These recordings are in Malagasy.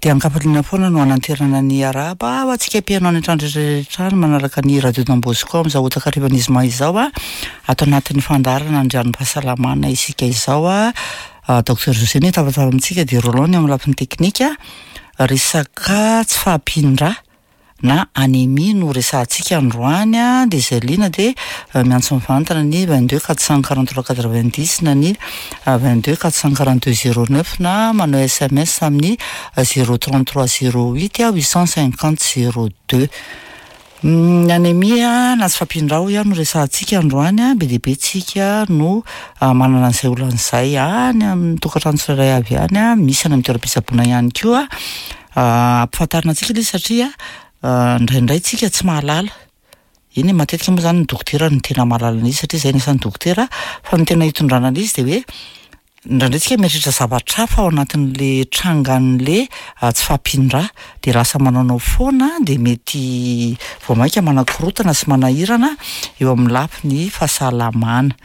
Dia an-kafaliana foana no hananterana ny arahaba ho antsika mpihaino any an-trano rehetra rehetra any manaraka ny Radio Don Bosco amin'izao otakarivan'ny zoma izao a. Ato anatin'ny fandaharana Andrianim-pahasalamana isika izao a. Docteur José no hitabataba amintsika dia Roland ny eo amin'ny lafiny teknika. Resaka tsy fahampian-drà. na anémie no resahantsika androany dia izay liana dia miantso mivantana ny 22 443 90 na ny 22 442 09 na manao sms amin'ny 033 08 850 02. Ny anémie na tsy fahampian-drà hoy aho no resahantsika androany, be dia be tsika no manana an'izay olana izay any amin'ny tokantrano tsirairay avy any, misy any amin'ny toeram-pitsaboana ihany koa. Ampifantarina antsika ilay izy satria indraindray tsika tsy mahalala. Eny e, matetika moa zany ny dokotera no tena mahalala an'izy satria izay no asan'ny dokotera, fa ny tena itondrana an'izy dia hoe indraindray tsika mieritreritra zavatra hafa ao anatin'le trangan'le tsy fahampian-drà dia lasa manaonao foana dia mety vao mainka manakorontana sy manahirana eo amin'ny lafiny fahasalamana.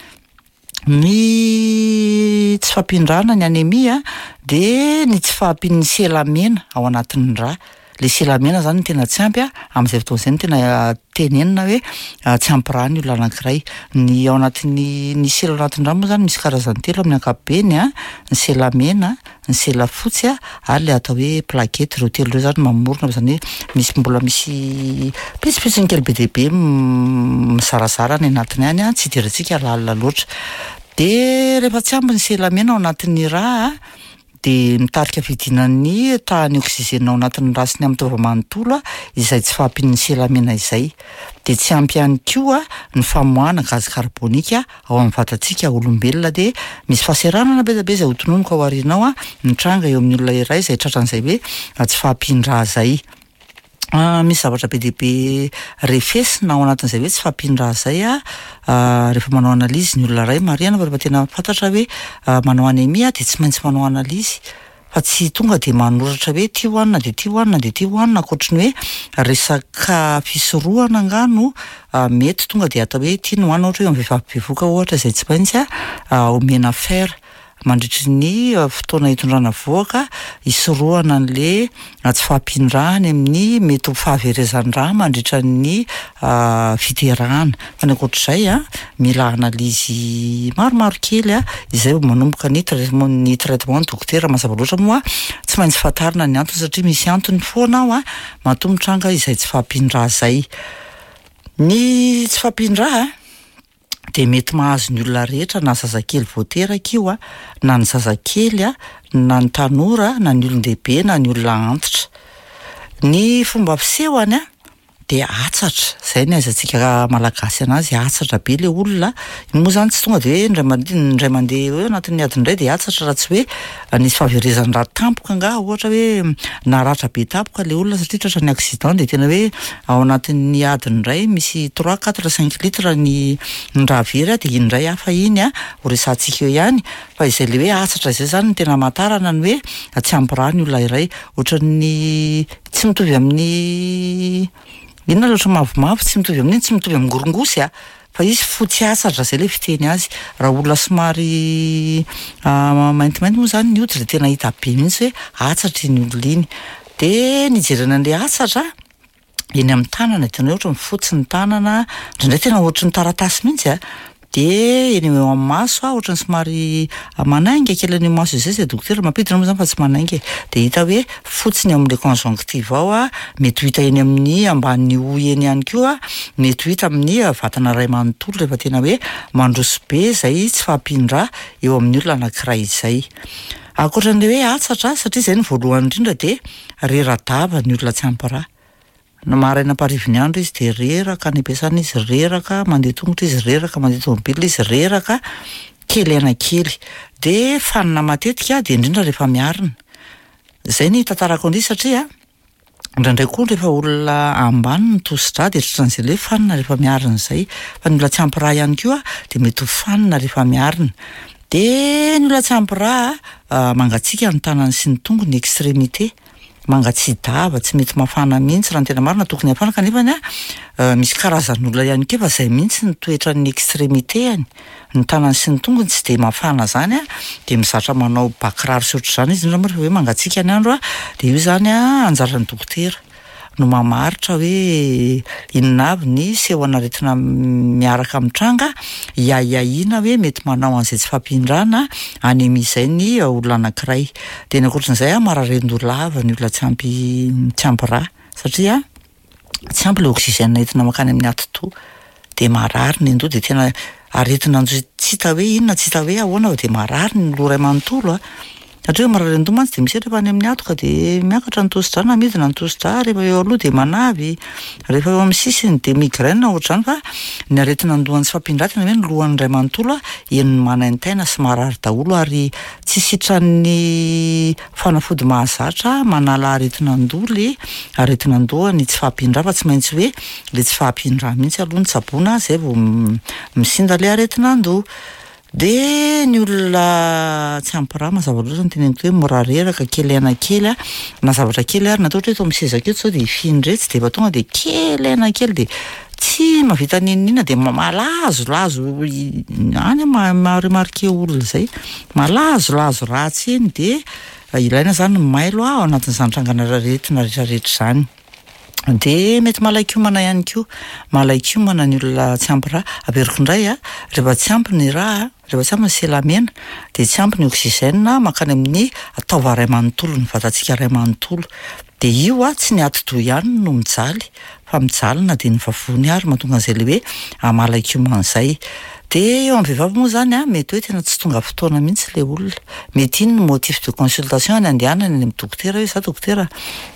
Ny tsy fahampian-drà na ny anémie dia ny tsy fahampian'ny sela mena ao anatin'ny rà. Ilay sela mena izany no tena tsy ampy amin'izay fotoana izay no tena tenenina hoe tsy ampy rà ny olona anankiray. Ny ao anatin'ny ny sela ao anatin'ny rà moa izany misy karazany telo amin'ny ankapobeny ny sela mena, ny sela fotsy ary ilay atao hoe plaquette, ireo telo ireo izany mamorona izany hoe misy mbola misy pitsopitsony kely be dia be mizarazara any anatiny any tsy idirantsika lalina loatra. Dia rehefa tsy ampy ny sela mena ao anatin'ny rà dia mitarika fidinan'ny tahan'ny oxygène ao anatin'ny rà sy ny amin'ny taova manontolo izay tsy fahampian'ny sela mena izay. Dia tsy ampy ihany koa ny famoahana gaz carbonique ao amin'ny vatantsika olombelona dia misy fahaseranana be dia be izay ho tononiko ao aoriana ao mitranga eo amin'ny olona iray izay tratran'izay hoe tsy fahampian-drà izay. Misy zavatra be dia be refesina ao anatin'izay hoe tsy fahampian-drà izay rehefa manao analyse ny olona iray. Marihana fa rehefa tena fantatra hoe manao anémie dia tsy maintsy manao analyse. fa tsy tonga dia manoratra hoe ity hohanina dia ity hohanina dia ity hohanina ankoatry ny hoe resaka fisorohana angaha no mety tonga dia atao hoe ity no hohanina ohatra hoe eo amin'ny vehivavy bevohoka ohatra izay tsy maintsy omena fer mandritry ny fotoana hitondrana vohoka hisorohana an'le tsy fahampian-drà any amin'ny mety ho fahaverezan-drà mandritra ny fiterahana. Fa ny ankoatr'izay a, mila analyse maromaro kely a, izay vao manomboka ny traitement ny traitement ny dokotera mazava loatra moa tsy maintsy fantarina ny antony satria misy antony foana ao a, matoa mitranga izay tsy fahampian-drà izay. Ny tsy fahampian-drà a dia mety mahazo ny olona rehetra na zazakely vao teraka io a, na ny zazakely a, na ny tanora, na ny olon-dehibe, na ny olona antitra. Ny fomba fisehony a dia hatsatra, zay ny ahaizantsika malagasy anazy, hatsatra be le olona, iny moa zany tsy tonga de hoe indray mandeha indray mandeha hoe anatin'ny adiny iray de hatsatra raha tsy hoe nisy fahaverezan-drà tampoka angaha ohatra hoe naratra be tampoka le olona satria tratran'ny accident de tena hoe ao anatin'ny adiny iray misy trois, quatre, cinq litres ny ny rà very de iny indray hafa iny an, ho resahantsika eo ihany, fa izay le hoe hatsatra izay zany no tena hamantarana ny hoe tsy ampy rà ny olona iray, ohatran'ny Tsy mitovy amin'ny inona loatra mavomavo, tsy mitovy amin'iny, tsy mitovy amin'ny ngorongosy a, fa izy fotsy asatra zay le fiteny azy. Raha olona somary maintimainty moa zany ny hoditra de tena hita be mihitsy hoe atsatra iny olona iny. De ny hijerena an'le atsatra eny amin'ny tanana, tena hoe ohatran'ny fotsy ny tanana, indraindray tena ohatran'ny taratasy mihitsy a. Dia eny eo amin'ny maso aho ohatran'ny somary manainga kely an'io maso izay, izay dokotera mampiditra moa izany fa tsy manainga e. Dia hita hoe fotsy ny ao amin'ilay conjonctive ao, mety ho hita eny amin'ny ambanin'ny hoho eny ihany koa, mety ho hita amin'ny vatana iray manontolo rehefa tena hoe mandroso be izay tsy fahampian-drà eo amin'ny olona anankiray izay. Ankoatra an'ilay hoe hatsatra, satria izay no voalohany indrindra dia rera-dava ny olona tsy ampy rà. Na maraina amparivin'ny andro izy dia reraka, any am-piasana izy reraka, mandeha tongotra izy reraka, mandeha tomobile izy reraka, kely aina kely. Dia fanina matetika dia indrindra rehefa miarina. Izay ny hitantarako an'ilay izy satria indraindray koa rehefa olona ambany ny tosi-drà dia tratran'izay ilay hoe fanina rehefa miarina izay. Fa ny olona tsy ampy rà ihany koa dia mety ho fanina rehefa miarina. Dia ny olona tsy ampy rà mangatsiaka ny tanany sy ny tongony, extrémité. Mangatsia-dava, tsy mety mafana mihitsy raha ny tena marina, tokony hafana kanefa an, misy karazan'olona ihany koa efa izay mihitsy ny toetran'ny extrémité-ny, ny tanany sy ny tongony tsy dia mafana izany an, dia mizatra manao ba kiraro sy ohatr'izany izy, indrindra moa rehefa hoe mangatsiaka ny andro an, dia io izany an anjaran'ny dokotera no mamaritra hoe inona avy ny sehon'aretina miaraka mitranga, hiahiahiana hoe mety manao an'izay tsy fampindrana anémie izay ny olona anankiray. Dia ny ankoatran'izay an, marary an-doha lava ny olona tsy ampy tsy ampy rà satria tsy ampy ilay oxygène entina mankany amin'ny atidoha dia marary ny an-doha dia tena aretina an-doha tsy hita hoe inona tsy hita hoe ahoana fa dia marary ny loha iray manontolo a. Satria marary an-doha mantsy dia miseho rehefa any amin'ny hatoka dia miakatra ny tosidra na midina ny tosidra, rehefa eo aloha dia manavy, rehefa eo amin'ny sisiny dia migraine ohatr'izany fa ny aretina an-doha tsy fampindra tena hoe ny lohany iray manontolo a, henony manaintaina sy marary daholo ary tsy sitran'ny fanafody mahazatra manala aretina an-doha le aretina an-doha ny tsy fahampian-drà fa tsy maintsy hoe le tsy fahampian-drà mihitsy aloha no tsaboina zay vao misinda le aretina an-doha. Dia ny olona tsy ampy rà mazava loatra ny teneniko hoe mora reraka, kely aina kely a, na zavatra kely ary na atao ohatra hoe eto amin'ny sezako eto zao dia hifindra etsy dia efa tonga dia kely aina kely dia tsy mahavita n'inon'inona dia malazolazo any aho maha-remarquer olona izay, malazolazo ratsy eny dia ilaina izany ny mailo ao anatin'izany trangana aretina rehetrarehetra izany. Dia mety malain-kiomana ihany koa, malain-kiomana ny olona tsy ampy rà. Averiko indray a, rehefa tsy ampy ny rà, rehefa tsy ampy ny sela mena dia tsy ampy ny oxygène mankany amin'ny taova iray manontolo, ny vatantsika iray manontolo. Dia io a, tsy ny atidoha ihany no mijaly fa mijaly na dia ny vavony ary mahatonga an'izay ilay hoe malain-kiomana izay. Dia eo amin'ny vehivavy moa izany an, mety hoe tena tsy tonga fotoana mihitsy ilay olona. Mety iny no motif de consultation any andehanany any amin'ny dokotera hoe za dokotera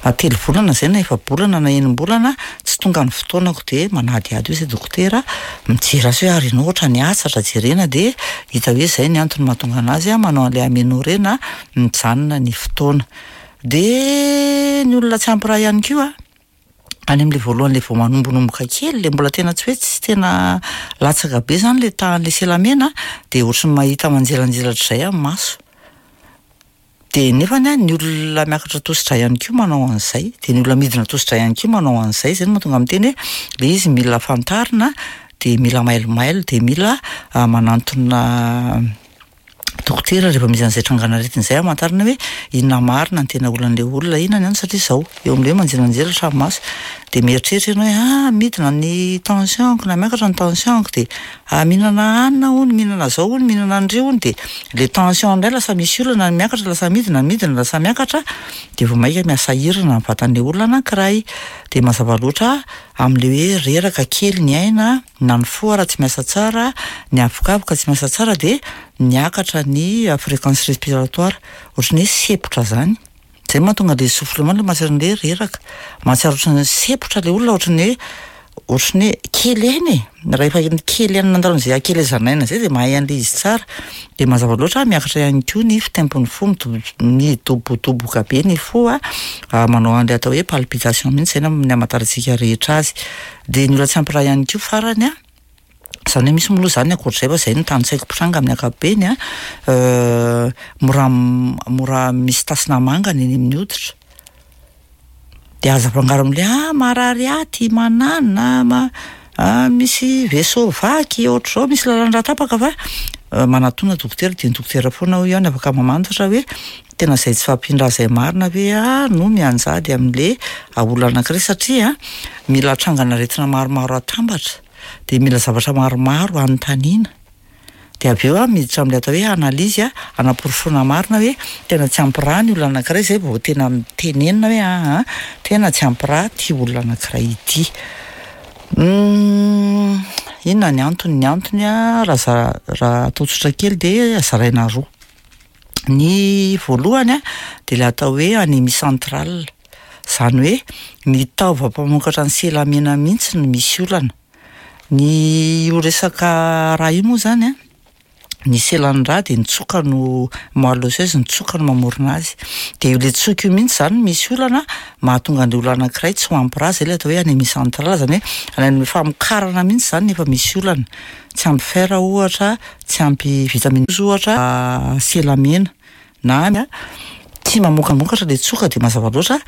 a, telo volana izay na efa-bolana na enim-bolana tsy tonga ny fotoanako dia manadihady eo izay dokotera, mijery azy hoe ary ianao ohatran'ny hatsatra jerena dia hita hoe izay ny antony mahatonga an'azy manao an'ilay aménorrhée na mijanona ny fotoana. Dia ny olona tsy ampy rà ihany koa. any amin'ilay voalohany ilay vao manombonomboka kely, ilay mbola tena tsy hoe tsy tena latsaka be izany ilay tahan'ilay selamena dia ohatry ny mahita manjelanjelatra izay amin'ny maso. Dia nefany an, ny olona miakatra tosidra ihany koa manao an'izay, dia ny olona midina tosidra ihany koa manao an'izay, izay no mahatonga miteny hoe ilay izy mila fantarina, dia mila mailomailo, dia mila manantona dokotera rehefa misy an'izay trangan'aretina izay hamantarana hoe inona marina ny tena olan'ilay olona, inona ny antony satria izao eo amin'ilay hoe manjelanjelatra ny maso dia mieritreritra ianao hoe ah midina ny tension-ko na miakatra ny tension-ko dia ah mihinana hanina hono, mihinana izao hono, mihinana an'ireo hono dia ilay tension indray lasa misy olana, ny miakatra lasa midina, ny midina lasa miakatra dia vao mainka mihasahirana ny vatan'ilay olona anankiray dia mazava loatra amin'ilay hoe reraka kely ny aina na ny fo ara tsy miasa tsara, ny avokavoka tsy miasa tsara dia miakatra ny fréquence respiratoire, ohatran'ny hoe sepotra zany, zay mahatonga le essoufflement le mahatsiaro an'le reraka, mahatsiaro ohatran'ny sepotra le olona ohatran'ny hoe ohatran'ny hoe kely aina e, rehefa kely aina nandalo an'izay hakelezan'aina zay dia mahay an'le izy tsara, dia mazava loatra miakatra ihany koa ny fitempon'ny fo, midobodoboka be ny fo a, manao an'le atao hoe palpitation mihitsy zay ny hamantarantsika rehetra azy. Dia ny olona tsy ampy rà ihany koa farany an, izany hoe misy moa aloha izany ankoatr'izay fa izay no tanisaiko mpitranga amin'ny ankapobeny an, mora mora misy tasina mangana eny amin'ny hoditra, dia aza afangaro amin'ilay ah marary aty, mananona, ma- ah misy vaisseau vaky, ohatr'izao, misy lalan-drà tapaka fa manatona dokotera dia ny dokotera foana hoy aho no afaka mamantatra hoe Tena izay tsy fahampian-draha izay marina ve aho no mianjady amin'le olana anankiray satria mila trangan'aretina maromaro atambatra dia mila zavatra maromaro anontaniana dia avy eo aho miditra amin'ilay atao hoe analyse hanaporofoana marina hoe tena tsy ampy rà ny olona anankiray izay vao tena tenenina hoe aa tena tsy ampy rà ity olona anankiray ity. Inona ny antony? Ny antony raha raha atao tsotra kely dia zaraina roa. Ny voalohany a, dia ilay atao hoe anémie centrale, izany hoe ny taova mpamokatra ny sela mena mihitsy no misy olana. Ny io resaka rà io moa izany a, ny selan'ny rà dia ny tsoka no moelle osseuse, ny tsoka no mamorona azy. Dia io le tsoka io mihitsy izany no misy olana mahatonga an'ilay olona anankiray tsy ho ampy rà, izay ilay atao hoe anémie centrale, izany hoe any amin'ny famokarana mihitsy izany no efa misy olana. Tsy ampy fer ohatra, tsy ampy vitamine ohatra, sela mena na. Tsy mamokamokatra le tsoka de mazava loatra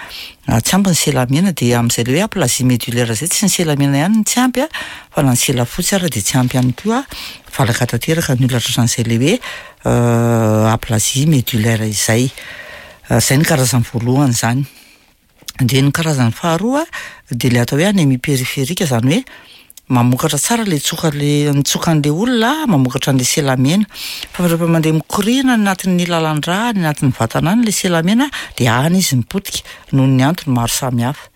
tsy ampy ny sela mena de amin'izay le hoe aplasie médullaire zay tsy ny sela mena ihany no tsy ampy a fa na ny sela fotsy ara de tsy ampy ihany koa, valaka tanteraka ny olona tratran'izay le hoe aplasie médullaire izay. Zay ny karazany voalohany zany. De ny karazany faharoa de le atao hoe anémie périphérique zany hoe mamokatra tsara le tsoka le ny tsokan'le olona mamokatra an'le sela mena fa rehefa mandeha mikoriana any anatin'ny lalan-drà any anatin'ny vatana any le sela mena de any izy mipotika noho ny antony maro samihafa.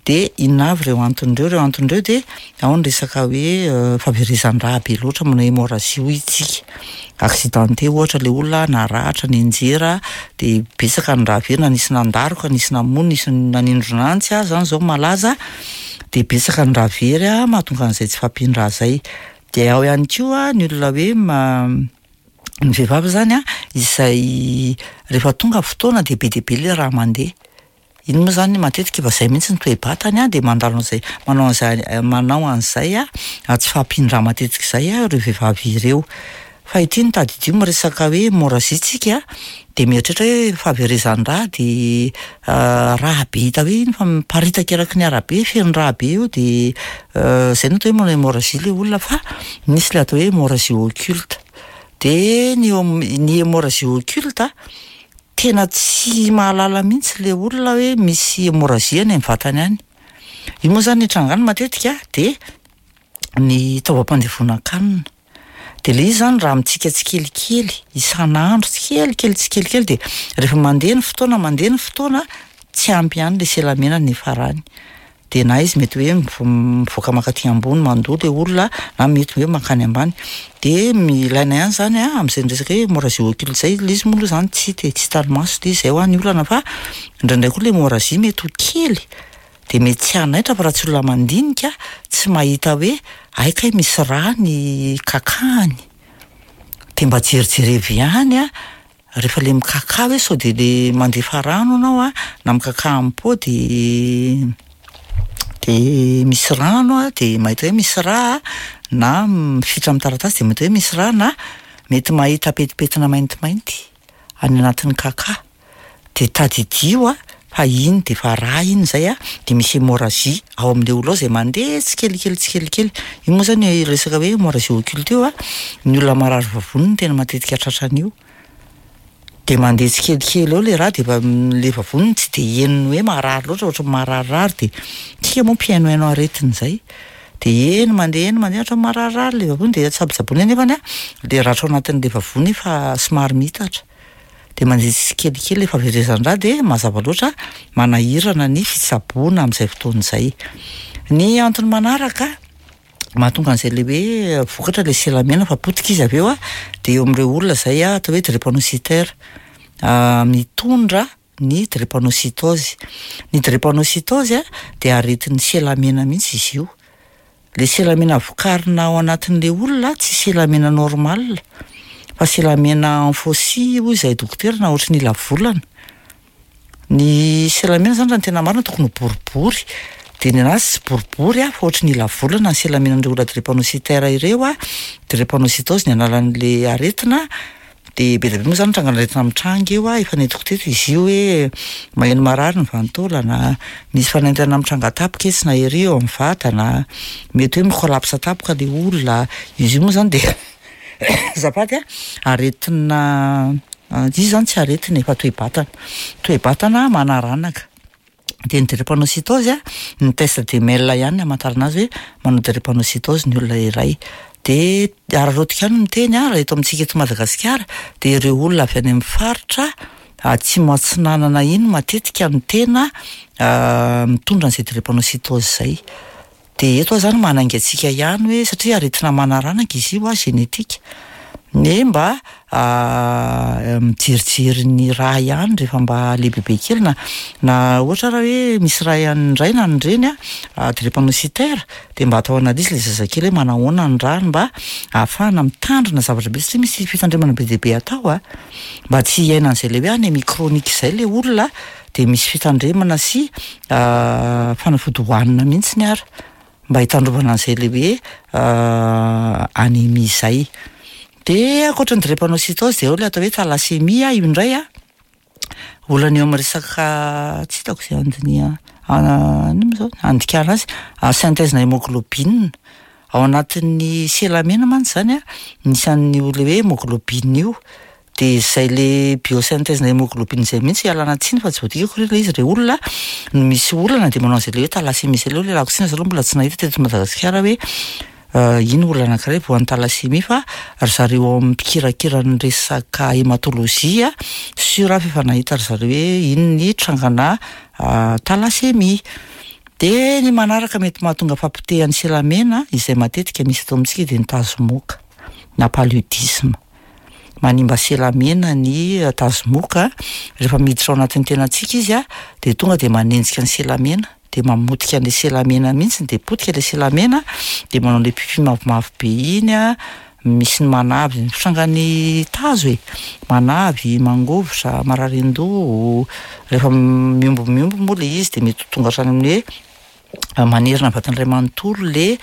De inona avy ireo antony ireo? Ireo antony ireo de ao ny resaka hoe fahaverezan-drà be loatra manao hémorragie hoy isika, accidenté ohatra le olona naratra, nianjera de betsaka ny rà very na nisy nandaroka, nisy namono, nisy nanindrona antsy aza zany zao malaza de betsaka ny rà very a mahatonga an'izay tsy fahampian-drà zay. De ao ihany koa ny olona hoe ny vehivavy zany a izay rehefa tonga fotoana de be dia be le rà mandeha. Iny moa zany matetika efa zay mihitsy ny toe-batany a de mandalo an'izay manao an'izay manao an'izay a tsy fahampian-drà matetika izay a ireo vehivavy ireo. Fa ity no tadidio miresaka hoe hémorragie tsika de mieritreritra hoe fahaverezan-drà de rà be hita hoe iny fa miparitaka eraky ny arabe feno rà be eo de zay no atao hoe manao hémorragie le olona fa misy le atao hoe hémorragie occulte. De ny ny hémorragie occulte tena tsy mahalala mihitsy le olona hoe misy hémorragie any amin'ny vatany any. Io moa zany ny itrangany matetika de ny taovam-pandevonan-kanina. De le izy zany raha mitsika tsikelikely isan'andro tsikelikely tsikelikely de rehefa mandeha ny fotoana mandeha ny fotoana tsy ampy ihany le sela mena ny farany. De na izy mety hoe mivoaka mankaty ambony mandoa le olona na mety hoe mankany ambany. De ilaina ihany zany a amin'izay resaka hoe hémorragie occulte zay, le izy moa aloha zany tsy hita e, tsy hitan'ny maso le izy, zay hoa ny olana fa indraindray koa le hémorragie mety ho kely de mety tsy hanaitra fa raha tsy olona mandinika tsy mahita hoe ay kay misy rà ny kakahany. De mba jerijerevy ihany a rehefa le mikakà hoe sao de le mandefa rano anao a na mikakà am-po de de misy rano a de mahita hoe misy rà na mifitra amin'ny taratasy de mahita hoe misy rà na mety mahita petipetina maintimainty any anatin'ny kakà. De tadidio a fa iny de efa rà iny zay a de misy hémorragie ao amin'le olona ao zay mandeha tsikelikely tsikelikely. Io moa zany resaka hoe hémorragie occulte io a, ny olona marary vavony no tena matetika tratran'io. De mandeha tsikelikely eo le rà de efa le vavoniny tsy de henony hoe marary loatra ohatran'ny mararirary de tsika moa mpihainohaino aretina zay. De eny mandeha eny mandeha ohatran'ny mararirary le vavony de tsabotsaboina nefany a le ratra ao anatin'le vavony efa somary miitatra. De mandeha tsikelikely le fahaverezan-drà de mazava loatra manahirana ny fitsaboana amin'izay fotoana izay. Ny antony manaraka mahatonga an'izay le hoe vokatra le sela mena fa potika izy avy eo a de eo amin'ireo olona zay a atao hoe drépanocytaire mitondra ny drépanocytose. Ny drépanocytose a de aretin'ny sela mena mihitsy izy io. Le sela mena vokarina ao anatin'le olona tsy sela mena normal fa sela mena en faucille hoy izahay dokotera na ohatry ny ila volana. Ny sela mena zany raha ny tena marina tokony ho boribory de ny anazy tsy boribory a fa ohatry ny ila volana ny sela menan'ireo olona drépanocytaire ireo a, drépanocytose ny anaran'le aretina. De be dia be moa zany trangan'aretina mitranga eo a, efa nentiko teto izy io hoe maheno marary ny vanin-taolana, misy fanaintainana mitranga tampoka etsy na ery eo amin'ny vatana, mety hoe mi-collapse tampoka le olona. Izy io moa zany de azafady a, aretina izy zany tsy aretina e fa toe-batana, toe-batana manaranaka. De ny drépanocytose a, ny test de Mel ihany no amantarana azy hoe manao drépanocytose ny olona iray. De araraotika ihany miteny a, raha eto amintsika eto Madagasikara de ireo olona avy any amin'ny faritra atsimo atsinanana iny matetika no tena mitondra an'izay drépanocytose zay. De eto aho zany manainga antsika ihany hoe satria aretina manaranaka izy io a génétique, ny mba mijerijery ny rà ihany rehefa mba lehibebe kely na na ohatra raha hoe misy ray ny ray na ny reny a drépanocytaire de mba atao analyse le zazakely hoe manahoana ny ràny mba ahafahana mitandrina zavatra be satria misy fitandremana be dia be atao a mba tsy hiaina an'izay le hoe anémie chronique zay le olona de misy fitandremana sy fanafody hohanina mihitsiny ara mba hitandrovana an'izay le hoe anémie zay. De ankoatra ny drépanocytose de ao le atao hoe thalassémie io indray a. Olana eo amin'ny resaka, tsy hitako izay andiniha, inona moa izao, andikana azy, synthèse-na hémoglobine. Ao anatin'ny sela mena mantsy izany an, misy an'io le hoe hémoglobine io. Dia izay le biosynthèse-na hémoglobine izay mihitsy ialana tsiny fa tsy voadikako re ilay izy re olona no misy olana dia manao an'izay le hoe thalassémie izay aloha ialako tsiny za aloha mbola tsy nahita teto Madagasikara hoe ino olana anankiray voan'ny thalassémie fa ry zareo ao amin'ny mpikirakira ny resaka hématologie sûr aho fa efa nahita ry zareo hoe ino ny trangana thalassémie. Dia ny manaraka mety mahatonga fahapotehan'ny selamena izay matetika misy eto amintsika dia ny tazomoka na paludisme. Manimba selamena ny tazomoka, rehefa miditra ao anatin'ny tenantsika izy dia tonga dia manenjika ny selamena, dia mamotika an'ilay selamena mihitsy dia potika ilay selamena dia manao an'ilay pipi mavomavo be iny an, misy ny manavy, ny fitrangan'ny tazo e, manavy, mangovitra, marary an-doha, rehefa mihombo mihombo moa ilay izy dia mety ho tonga hatrany amin'ny hoe manerana ny vatana iray manontolo le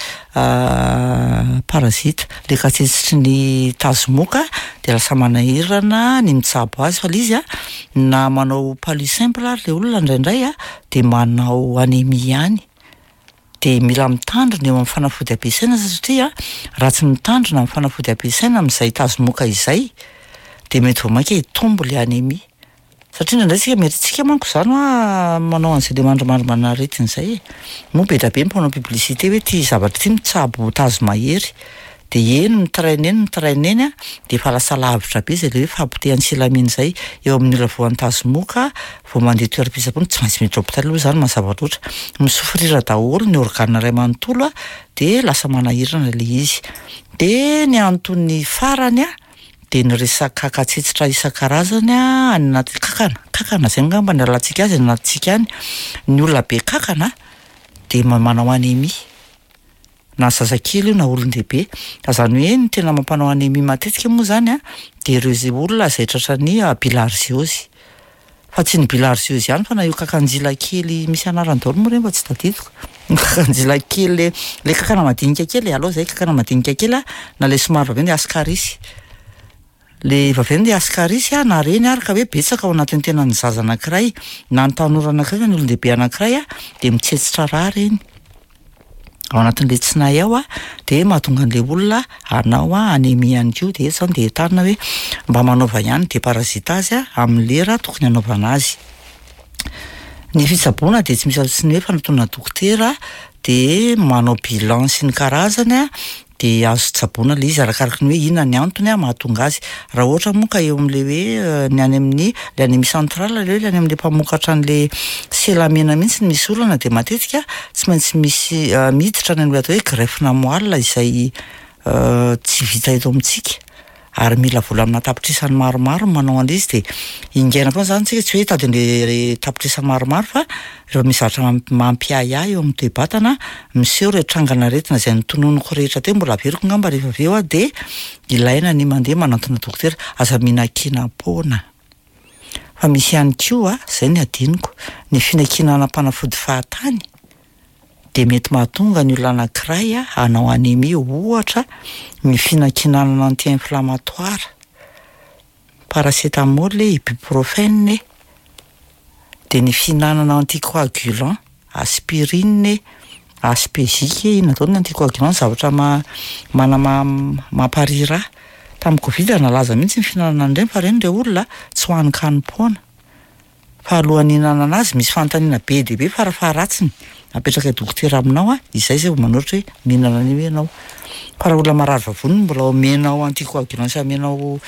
parasite, le katsetsitry ny tazomoka dia lasa manahirana ny mitsabo azy fa le izy an na manao palu simple ary le olona indraindray an dia manao anémie ihany. Dia mila mitandrina eo amin'ny fanafody ampiasaina satria raha tsy mitandrina amin'ny fanafody ampiasaina amin'izay tazomoka izay dia mety vao mainka hitombo ilay anémie. Satria indraindray tsika mety tsika manko izany hoa manao an'izay le mandrimandrimana aretina izay e. Moa be dia be ny mpanao publicité hoe ity zavatra ity mitsabo tazo mahery. Dia eny mi-traîner eny mi-traîner eny an, dia efa lasa lavitra be izay le hoe fahapotehan'ny silamina izay eo amin'ny olona voan'ny tazomoka vao mandeha toeram-pitsaboana, tsy maintsy miditra hopitaly aloha izany mazava loatra. Mi-souffrir daholo ny organe iray manontolo an, dia lasa manahirana ilay izy. Dia ny antony farany an, dia ny resaka katsetsitra isan-karazany an, any anaty kankana, kankana izay angamba no ialantsika azy any anatintsika any, ny olona be kankana dia manao anémie. Na zazakely io na olon-dehibe. Fa izany hoe ny tena mampanao anémie matetika moa izany an, dia ireo izay olona izay tratran'ny bilharziose. Fa tsy ny bilharziose ihany fa na io kakanjila kely misy anarany daholo moa ireny fa tsy tadidiko. Ny kakanjila kely le le kankana madinika kely e, aleo izay kankana madinika kely an, na le somary vaventy ascaris. Le vaventy ascaris an, na reny ary ka hoe betsaka ao anatin'ny tenan'ny zaza anankiray, na ny tanora anankiray na ny olon-dehibe anankiray an, dia mitsetsitra rà ireny. Ao anatin'ilay tsinay ao an, dia mahatonga an'ilay olona hanao anémie ihany koa, dia eto izany dia entanina hoe mba manaova ihany déparasitage amin'ny lera tokony hanaovana azy. Ny fitsaboana dia tsy misy afa-tsy ny hoe fanatona dokotera, dia manao bilan sy ny karazany an, dia azo tsaboina ilay izy arakaraky ny hoe inona ny antony mahatonga azy. Raha ohatra moa ka eo amin'ilay hoe ny any amin'ny ilay anémie centrale ilay hoe ilay any amin'ilay mpamokatra an'ilay sela mena mihitsy no misy olana dia matetika tsy maintsy misy miditra any amin'ilay atao hoe greffe-na moelle izay tsy vita eto amintsika. ary mila vola amina tapitrisany maromaro ny manao an'ilay izy dia ingaina foana izany tsika tsy hoe hitady an'ilay tapitrisa maromaro fa rehefa misy zavatra mampiahiahy eo amin'ny toe-batana miseho ireo trangan'aretina izay notononiko rehetra teo mbola averiko angamba rehefa avy eo aho dia ilaina ny mandeha manantona dokotera aza mihinan-kenam-poana fa misy ihany koa izay ny adinoko ny fihinankinanam-panafody fahatany dia mety mahatonga ny olona anankiray hanao anémie, ohatra ny fihinankinanana anti-inflammatoire, paracétamol e, ibuprofène e, dia ny fihinanana anticoagulant, aspirine e, aspégique e, inona daholo ny anticoagulant, zavatra ma- mana- mamparihy rà. Tamin'ny covid nalaza mihitsy ny fihinanana an'ireny fa ireny re olona tsy hohanin-kanim-poana. Fa alohan'ny hihinanana azy misy fanontaniana be dia be farafaharatsiny apetraka dokotera aminao a, izay zay vao manoratra hoe mihinana an'io ianao. Fa raha olona marary vavony no mbola omenao anticoagulant sy amenao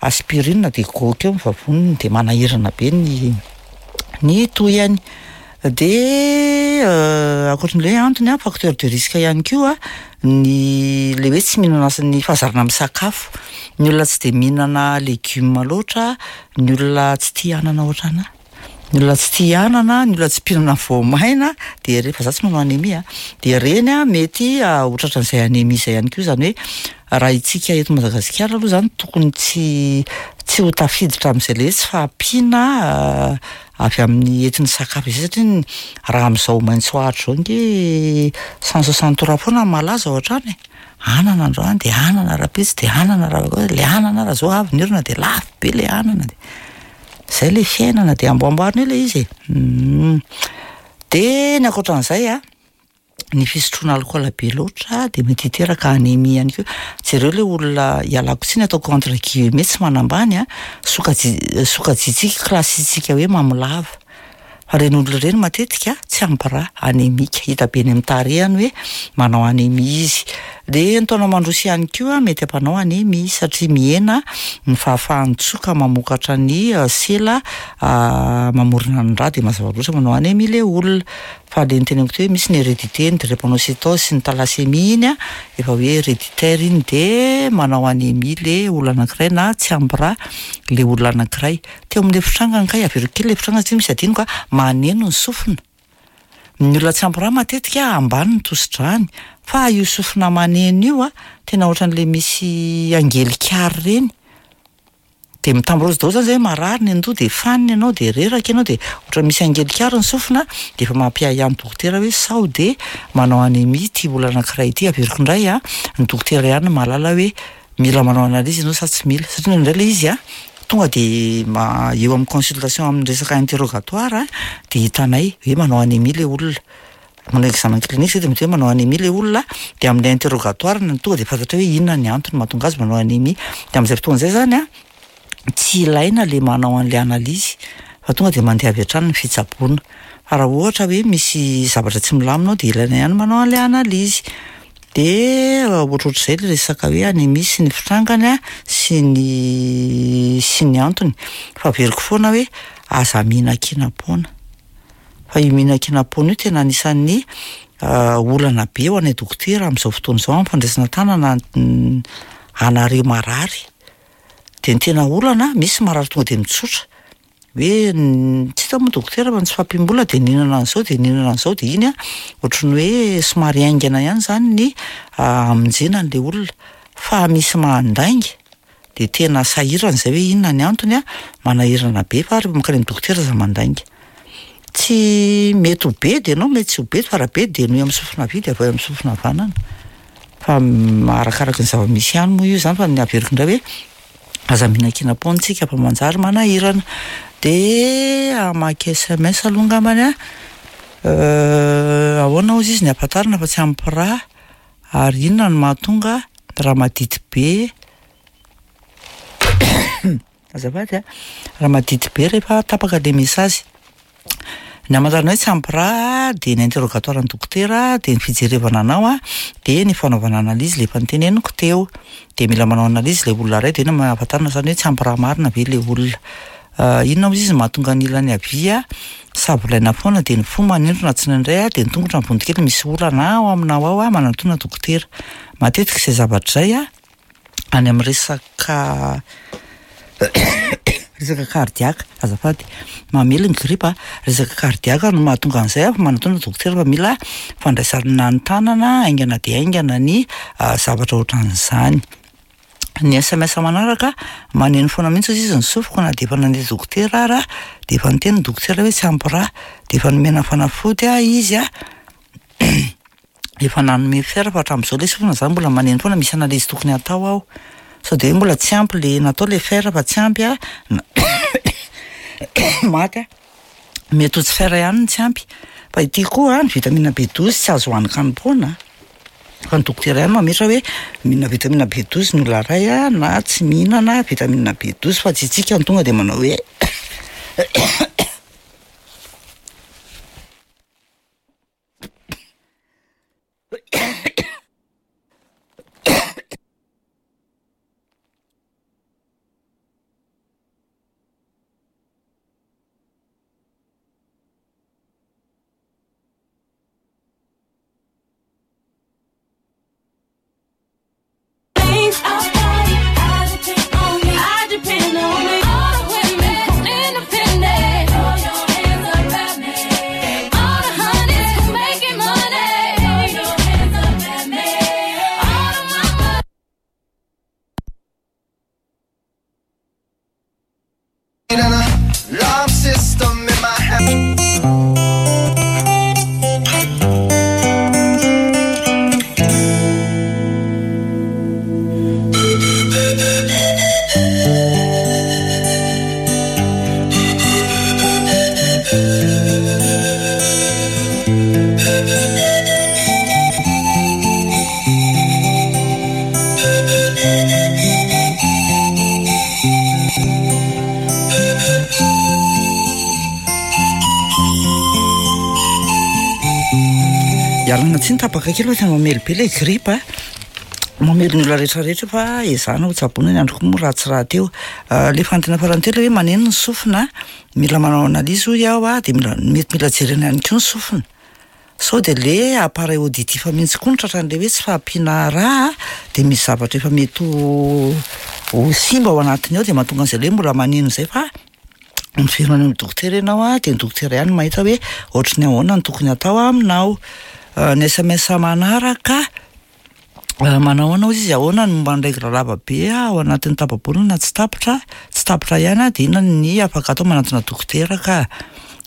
aspirine dia goaka eo ny vavoniny dia manahirana be ny ny tohiny. Dia ankoatran'ilay hoe antony an, facteur de risque ihany koa ny le hoe tsy mihinana ny fahazarana misakafo. Ny olona tsy dia mihinana legioma loatra, ny olona tsy tia anana ohatranà, ny olona tsy tia anana, ny olona tsy mpihinana voamaina dia re- fa za tsy manao anémie a, dia ireny a mety ho tratran'izay anémie izay ihany koa, izany hoe raha isika eto Madagasikara aloha izany tokony tsy tsy ho tafiditra amin'izay le hoe tsy fahampiana avy amin'ny entin'ny sakafo izay satria ny raha amin'izao maitso ahitra izao ange 163 foana no malaza ao an-trano e. Anana androany dia anana rahampitso dia anana raha le anana raha zao avy ny orana dia lafo be le anana dia. Zay le fiainana de amboamboarina eo le izy e. De ny ankoatran'izay a, ny fisotroana alikaola be loatra de mety hiteraka anémie ihany koa. Jereo le olona, ialako tsiny ataoko entre guillemets tsy manambany a, sokaji- sokajintsika, classitsika hoe mamolava. Fa ireny olona ireny matetika tsy ampy rà, anémique, hita be eny amin'ny tarehiny hoe manao anémie izy. De ny taona mandroso ihany koa mety hampanao anémie satria mihena ny fahafahan'ny tsoka mamokatra ny sela mamorona ny rà de mazava loatra manao anémie le olona. Fa le niteneniko teo hoe misy ny hérédité, ny drépanocytose sy ny thalassémie iny a, efa hoe héréditaire iny de manao anémie le olona anankiray na tsy ampy rà le olona anankiray. Teo amin'ilay fitrangany kay, averiko kely ilay fitrangana satria misy adinoko a, maneno ny sofina. Ny olona tsy ampy rà matetika ambany ny tosi-dràny, fa io sofina maneno io a, tena ohatran'ilay misy angelikary ireny. De mitambrozy daholo zany zay hoe marary ny andoha de fanina ianao de reraka ianao de ohatran'ny misy angelikary ny sofina de efa mampiahiahy ny dokotera hoe sao de manao anémie ity olona anankiray ity. Averiko indray a, ny dokotera ihany no mahalala hoe mila manao analyse ianao sa tsy mila, satria indraindray ilay izy a, tonga de ma- eo amin'ny consultation amin'ny resaka interrogatoire de hitanay hoe manao anémie ilay olona, manao examen clinique zay de mety hoe manao anémie ilay olona, de amin'ilay interrogatoire no tonga de fantatra hoe inona ny antony mahatonga azy manao anémie, de amin'izay fotoana izay zany a, tsy ilaina le manao an'ilay analyse fa tonga de mandeha avy hatrany ny fitsaboana, fa raha ohatra hoe misy zavatra tsy milamina ao de ilaina ihany manao an'ilay analyse. De ohatrohatr'izay le resaka hoe anémie sy ny fitrangany a, sy ny sy ny antony, fa averiko foana hoe aza mihinan-kinam-poana, fa io mihinan-kinam-poana io tena anisan'ny olana be ho anay dokotera amin'izao fotoana izao amin'ny fandraisana an-tanana anareo marary, de ny tena olana misy marary tonga de mitsotra hoe tsy hita moa dokotera fa ny tsy fahampiam-bola de nihinana an'izao de nihinana an'izao de iny a ohatran'ny hoe somary haingana ihany zany ny hamonjena an'le olona, fa misy mandainga de tena sahirana zay hoe inona ny antony a, manahirana be fa rehefa mankany amin'ny dokotera aza mandainga. Tsy mety ho bedy ianao, mety tsy ho bedy fa raha bedy de henoy amin'ny sofina havia de avoahy amin'ny sofina havanana, fa arakaraky ny zava-misy ihany moa io zany fa ny averiko indray hoe aza mihinan-kinam-poana tsika fa manjary manahirana. De hamaky SMS aloha angambany a, ahoana hozy izy ny ahafantarana fa tsy ampy rà ary inona no mahatonga raha madity be azafady a, raha madity be rehefa tapaka le message. Ny hamantarana hoe tsy ampy rà de ny interrogatoire ny dokotera, de ny fijerevana anao a, de ny fanaovana analyse le efa noteneniko teo, de mila manao analyse le olona iray de iny no ahafantarana zany hoe tsy ampy rà marina ve le olona. Inona hozy izy no mahatonga ny ilany havia savolaina foana de ny fo manindrona tsindraindray a, de ny tongotra mivonto kely misy olana ao aminao ao a, manantona dokotera. Matetika izay zavatra izay a, any amin'ny resaka resaka cardiaque azafady, mamely ny gripa, resaka cardiaque no mahatonga an'izay fa manatona dokotera fa mila fandraisana an-tanana haingana dia haingana ny zavatra ohatran'izany. Ny SMS manaraka, maneno foana mihitsy hozy izy ny sofiko na dia efa nandeha dokotera ara, de efa niteny ny dokotera hoe tsy ampy rà, de efa nomena fanafody aho izy a, efa nanome fer fa hatramin'izao le sofina zany mbola maneno foana, misy analyse tokony hatao ao, sao de hoe mbola tsy ampy le natao le fer fa tsy ampy a, maty aho, mety ho tsy fer ihany no tsy ampy, fa ity koa ny vitamine B douze tsy azo hohanin-kanim-poana, fa ny dokotera ihany mametra hoe mihinana vitamine B douze ny olona iray a na tsy mihinana vitamine B douze fa tsy isika no tonga de manao hoe. Ialana tsiny tapaka kely fa tena mamely be ilay grippe a. Mamely ny olona rehetra rehetra fa ezahana ho tsaboina ny andro koa moa ratsy rahateo. Ilay fanontaniana farany teo ilay hoe maneno ny sofina, mila manao analyse hoy aho a, dia mila mety mila jerena ihany koa ny sofina. Sao dia le appareil auditif mihitsy koa no tratran'ilay hoe tsy fahampiana rà dia misy zavatra efa mety ho ho simba ao anatiny ao dia mahatonga an'izay le hoe mbola maneno izay fa miverina any amin'ny dokotera ianao an, dia ny dokotera ihany no mahita hoe ohatry ny ahoana no tokony hatao aminao. Ny sms manaraka. Manao ahoana hozy izy, ahoana ny momba ny règle lava be ao anatin'ny tapa-bolana tsy tapitra, tsy tapitra ihany dia inona ny afaka atao manantona dokotera ka,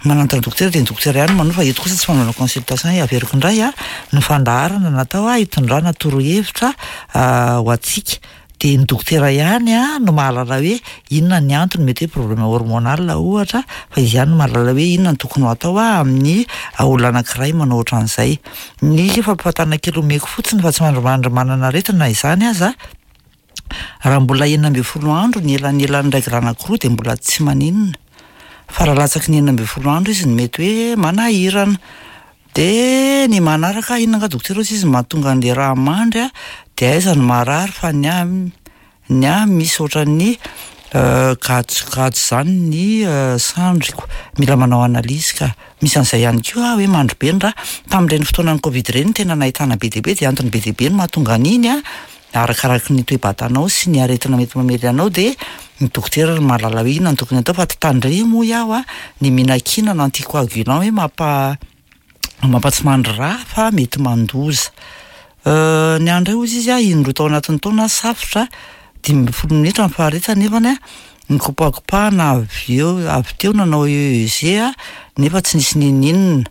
manantona dokotera dia ny dokotera ihany no manoro fa eto kosa tsy fanaovana consultation e, averiko indray a, ny fandaharana natao hitondrana torohevitra ho antsika. Dia ny dokotera ihany no mahalala hoe inona ny antony, mety hoe problème hormonal ohatra, fa izy ihany no mahalala hoe inona no tokony ho atao amin'ny olona anankiray manao ohatran'izay. Ny fampifantana kely omeko fotsiny fa tsy mandrimandry manana aretina na izany aza, raha mbola 16 andro ny elanelan'ny règle anankiroa dia mbola tsy maninona, fa raha latsaky ny 16 andro izy no mety hoe manahirana. De ny manaraka inona nga dokotera ozy izy mahatonga an'le raha mandry a de aiza no marary fa ny ahy ny ahy misy ohatran'ny gadogado zany ny sandriko, mila manao analyse ka, misy an'izay ihany koa hoe mandry be ny rà, tamin'ireny fotoanan'ny covid ireny tena nahitana be dia be de antony be dia be no mahatonga an'iny a, arakaraky ny toe-batanao sy ny aretina mety mamely anao de ny dokotera no mahalala hoe inona no tokony atao fa tandremo hoy aho a, ny mihinan-kinana anticoagulant hoe mampa mampatsimandry rà fa mety mandoza. Ny ahy indray hozy izy a, indroa tao anatin'ny taona safotra, 15 minitra ny faharetany nefany a nikopakopahana avy eo avy teo nanao EEG aho nefa tsy nisy n'inon'inona.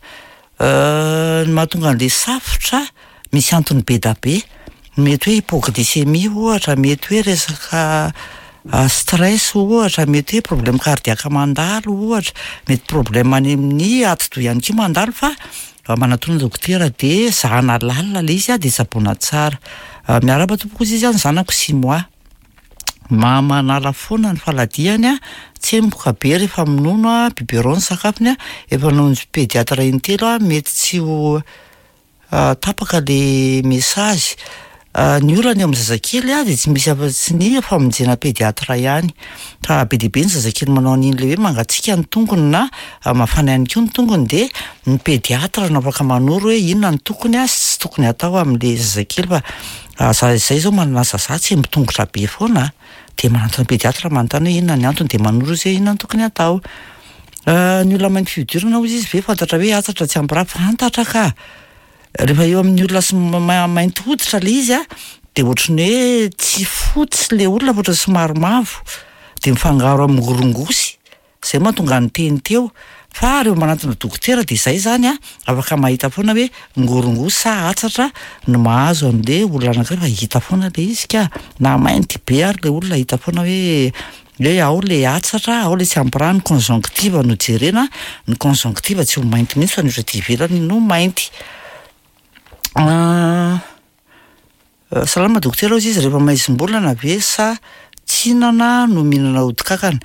Ny mahatonga an'ilay safotra, misy antony be da be, mety hoe hypoglycémie ohatra, mety hoe resaka stress ohatra, mety hoe problème cardiaque mandalo ohatra, mety problème any amin'ny atidoha ihany koa mandalo fa manatona dokotera de zahana lalina ilay izy de tsaboina tsara. Miarahaba tompoko hozy izy a, ny zanako six mois, manala foana ny faladiany a, tsemboka be rehefa minono a, biberon ny sakafony a, efa namonjy pédiatre intelo a, mety tsy ho tapaka le message. Ny olana eo amin'ny zazakely a de tsy misy afa-tsy ny famonjena pédiatre ihany, fa be dia be ny zazakely manao an'iny le hoe mangatsiaka ny tongony na mafana ihany koa ny tongony de ny pédiatre no afaka manoro hoe inona no tokony sy tsy tokony atao amin'le zazakely fa za zay zao manana zaza tsy mitongotra be foana de manantona pédiatre manontany hoe inona ny antony de manoro izy hoe inona no tokony atao. Ny olona mainty fihodirana hozy izy ve fantatra hoe hatsatra tsy ampy rà? Fantatra ka! Rehefa eo amin'ny olona somary mainty hoditra ilay izy a, de ohatran'ny hoe tsy fotsy ilay olona fa ohatran'ny somary mavo, de mifangaro amin'ny rongosy, zay mahatonga ny teny teo, fa rehefa manantona dokotera de zay zany a, afaka mahita foana hoe ngorongosy sa hatsatra no mahazo an'le olona anankiray fa hita foana le izy ka, na mainty be ary le olona hita foana hoe hoe ao le hatsatra, ao le tsy ampy rà, ny conjonctive no jerena, ny conjonctive tsy ho mainty mihitsy fa ny ohatra aty ivelany no mainty. Salama dokotera hozy izy, rehefa maizim-bolana ve sa tsinana no mihinana odi-kankana?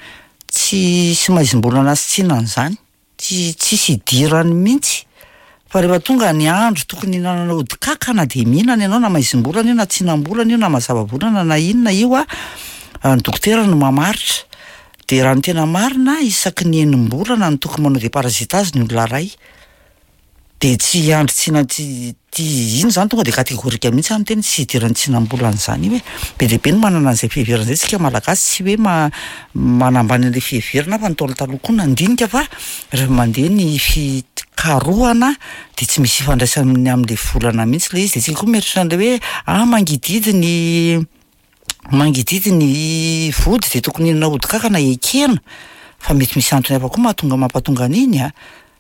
Tsisy maizim-bolana sy tsinana izany. Tsy tsisy idirany mihitsy fa rehefa tonga ny andro tokony hihinanana ody kankana dia mihinana ianao na maizim-bolana io na tsinam-bolana io na mazava volana na inona io a, ny dokotera no mamaritra, de raha ny tena marina isaky ny enim-bolana no tokony manao déparasitage ny olona iray. De tsy hiandry tsina tsy ty iny zany tonga de catégorique mihitsy aho miteny tsy hidiran'ny tsinam-bolana izany io e. Be dia be ny manana an'izay fiheverana izay tsika malagasy tsy hoe manambany an'ilay fiheverana fa ny Ntaolo taloha koa nandinika fa rehefa mandeha ny fikarohana de tsy misy ifandraisany amin'ilay volana mihitsy ilay izy de tsika koa mieritreritra an'ilay hoe ah mangidihidy ny mangidihidy ny vody de tokony hihinana ody kankana ekena fa mety misy antony hafa koa mahatonga mampatonga an'iny a,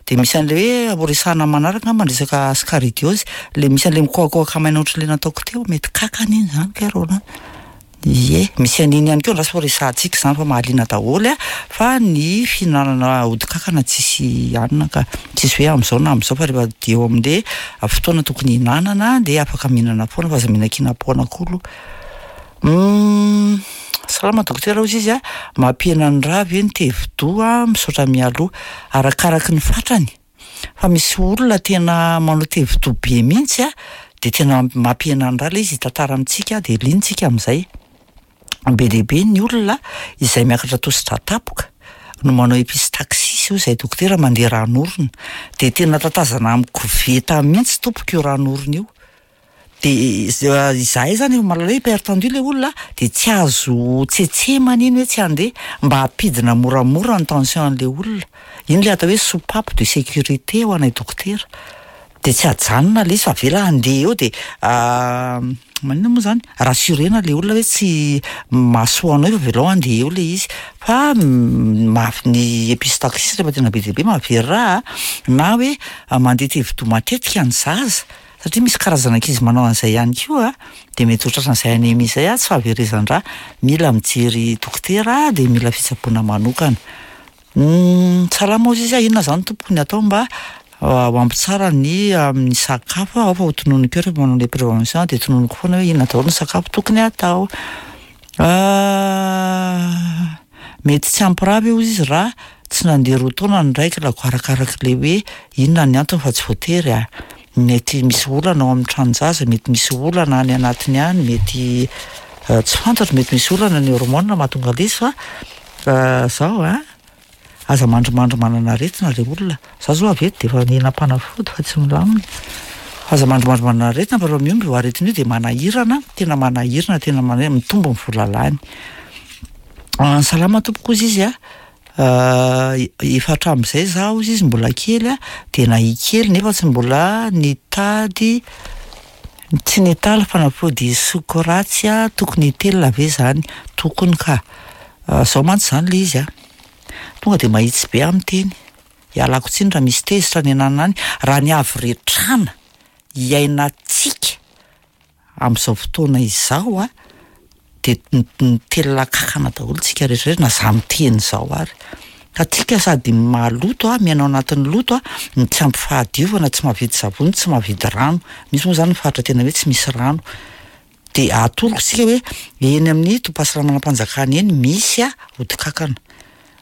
de misy an'le hoe ho resahana manaraka angamba ny resaka ascaridiose, le misy an'le mikohakohaka maina ohatran'le nataoko teo, mety kankana iny zany kay Roland, ie misy an'iny ihany koa andraso fa resahantsika izany fa mahaliana daholo a, fa ny fihinanana ody kankana tsisy hanina ka, tsisy hoe amin'izao na amin'izao fa rehefa eo amin'le fotoana tokony hihinanana de afaka mihinana foana fa aza mihinan-kinam-poana koa aloha. Salama dokotera hozy izy a, mampihena ny rà ve ny tevi-doha? Misaotra mialoha. Arakaraky ny fatrany. Fa misy olona tena manao tevidoha be mihitsy a, de tena mampihena ny rà le izy hitantara amintsika de liana tsika amin'izay. Be dia be ny olona izay miakatra tosi-drà tampoka no manao epistaxis hoy izahay dokotera mandeha ran'orona. De tena tatazana amin'ny koveta mihitsy tompoko io ran'orona io. De izahay zany efa mahalala hoe hypertendu le olona de tsy azo tsetsemana iny hoe tsy handeha mba hampidina moramora ny tension an'le olona. Iny le atao hoe soupape de sécurité ho anay dokotera. De tsy ajanona le izy fa avela handeha eo de maninona moa zany? Rassurena le olona hoe tsy mahasoa anao io fa avelao handeha eo le izy. Fa mafy ny epistaxis rehefa tena be dia be mahavery rà a, na hoe mandeha tevi-doha matetika ny zaza satria misy karazana ankizy manao an'izay ihany koa a, de mety ho tratran'izay anémie zay a, tsy fahaverezan-drà, mila mijery dokotera de mila fitsaboana manokana. Salama hozy izy a, inona zany tompoko ny atao mba ho ampy tsara ny amin'ny sakafo ao fa ho tononiko eo rehefa manao le prévention de tononiko foana hoe inona daholo ny sakafo tokony atao. Mety tsy ampy rà ve hozy izy raha tsy nandeha roa taona ny règle-ko arakarak'le hoe inona ny antony fa tsy voatery a. Mety misy olana ao amin'ny tranon-jaza, mety misy olana any anatiny any, mety tsy fantatro, mety misy olana ny hormone mahatonga an'ilay izy fa zao a, aza mandrimandry manana aretina le olona. Za zao avy eto de efa nihinam-panafody fa tsy milamina. Aza mandrimandry manana aretina fa raha mihombo io aretina io de manahirana, tena manahirana, tena manahirana, mitombo ny vola lany. Salama tompoko hozy izy a, efa hatramin'izay za hozy izy mbola kely a, de nahia kely nefa tsy mbola nitady, tsy nitaly fanafody soko ratsy a, tokony hitelina ve zany? Tokony ka. Zao mantsy zany le izy a, tonga de mahitsy be aho miteny, ialako tsiny raha misy tezitra any ananona any, raha ny haviretrana iainantsika amin'izao fotoana izao a, de mitelina kankana daholo tsika rehetra rehetra, na za miteny izao ary. Ka tsika sady maloto a, miaina ao anatin'ny loto a, no tsy ampy fahadiovana, tsy mahavidy savony, tsy mahavidy rano. Misy moa zany ny faritra tena hoe tsy misy rano. De atoroko tsika hoe eny amin'ny tobim-pahasalamanam-panjakana eny misy a ody kankana.